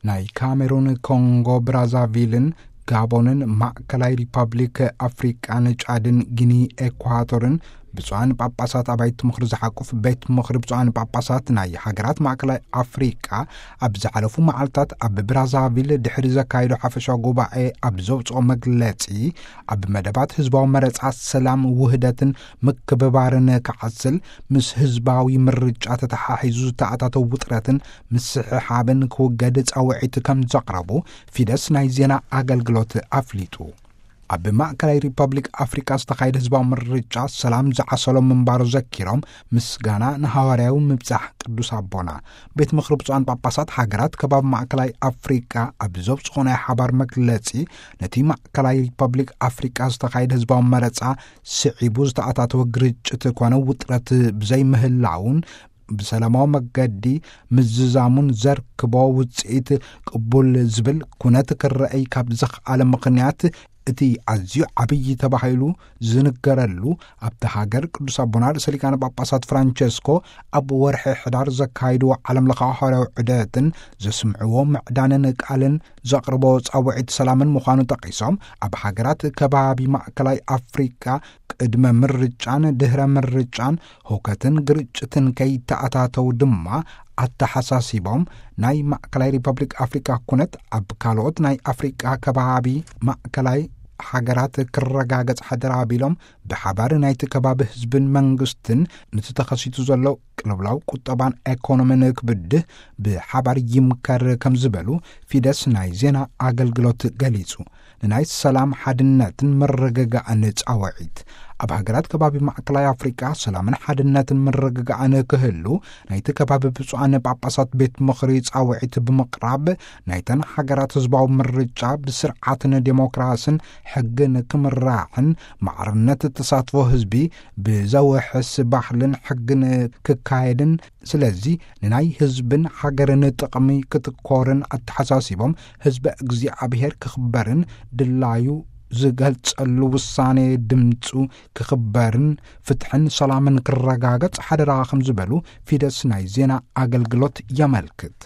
ናይ ካሜሩን፣ ኮንጎ ብራዛቪልን፣ ጋቦንን፣ ማእከላይ ሪፐብሊክ ኣፍሪቃን፣ ጫድን፣ ጊኒ ኤኳቶርን ብፁዓን ጳጳሳት ኣባይቲ ምኽሪ ዝሓቁፍ ቤት ምኽሪ ብፁዓን ጳጳሳት ናይ ሃገራት ማእከላይ ኣፍሪቃ ኣብ ዝሓለፉ መዓልታት ኣብ ብራዛቪል ድሕሪ ዘካየዶ ሓፈሻዊ ጉባኤ ኣብ ዘውፅኦ መግለፂ፣ ኣብ መደባት ህዝባዊ መረፃ ሰላም፣ ውህደትን ምክብባርን ክዓስል፣ ምስ ህዝባዊ ምርጫ ተተሓሒዙ ዝተኣታተው ውጥረትን ምስሕሓብን ክውገድ ጻውዒት ከም ዘቕረቡ ፊደስ ናይ ዜና ኣገልግሎት ኣፍሊጡ። ኣብ ማእከላይ ሪፐብሊክ ኣፍሪቃ ዝተኻየደ ህዝባዊ ምርጫ ሰላም ዝዓሰሎ ምንባሩ ዘኪሮም፣ ምስጋና ንሃዋርያዊ ምብጻሕ ቅዱስ ኣቦና። ቤት ምኽሪ ብፁዓን ጳጳሳት ሃገራት ከባቢ ማእከላይ ኣፍሪቃ ኣብ ዘውጽኦ ናይ ሓባር መግለጺ፣ ነቲ ማእከላይ ሪፐብሊክ ኣፍሪቃ ዝተኻየደ ህዝባዊ መረጻ ስዒቡ ዝተኣታተወ ግርጭት ኮነ ውጥረት ብዘይምህላውን ብሰላማዊ መገዲ ምዝዛሙን ዘርክቦ ውጽኢት ቅቡል ዝብል ኩነት ክረአይ ካብ ዘኽኣለ ምኽንያት፣ እቲ ኣዝዩ ዓብዪ ተባሂሉ ዝንገረሉ ኣብቲ ሃገር ቅዱስ ኣቦና ርእሰ ሊቃነ ጳጳሳት ፍራንቸስኮ ኣብ ወርሒ ሕዳር ዘካይድዎ ዓለም ለኻዊ ሃዋርያዊ ዑደትን ዘስምዕዎ ምዕዳንን ቃልን ዘቕርቦ ጻውዒት ሰላምን ምዃኑ ጠቒሶም፣ ኣብ ሃገራት ከባቢ ማእከላይ ኣፍሪቃ ቅድመ ምርጫን ድህረ ምርጫን ህውከትን ግርጭትን ከይተኣታተው ድማ ኣተሓሳሲቦም፣ ናይ ማእከላይ ሪፐብሊክ ኣፍሪቃ ኩነት ኣብ ካልኦት ናይ ኣፍሪቃ ከባቢ ማእከላይ ሃገራት ክረጋገጽ ሓደራ ኣቢሎም፣ ብሓባር ናይቲ ከባቢ ህዝብን መንግስትን ነቲ ተኸሲቱ ዘሎ ቅልውላው ቁጠባን ኤኮኖሚን ክብድህ ብሓባር ይምከር ከም ዝበሉ ፊደስ ናይ ዜና ኣገልግሎት ገሊጹ። ንናይ ሰላም ሓድነትን ምርግጋእን ጻውዒት። ኣብ ሃገራት ከባቢ ማእከላይ ኣፍሪቃ ሰላምን ሓድነትን ምርግጋእን ክህሉ ናይቲ ከባቢ ብፁዓን ጳጳሳት ቤት ምኽሪ ጻውዒት ብምቕራብ፣ ናይተን ሃገራት ህዝባዊ ምርጫ ብስርዓትን ዴሞክራስን ሕግን ክምራሕን፣ ማዕርነት ተሳትፎ ህዝቢ ብዘውሕስ ባህልን ሕግን ክካየድን፣ ስለዚ ንናይ ህዝብን ሃገርን ጥቕሚ ክትኮርን ኣተሓሳሲቦም፣ ህዝበ እግዚኣብሔር ክኽበርን ድላዩ ዝገልጸሉ ውሳኔ ድምፁ ክኽበርን ፍትሕን ሰላምን ክረጋገጽ ሓደራ ከም ዝበሉ ፊደስ ናይ ዜና ኣገልግሎት የመልክት።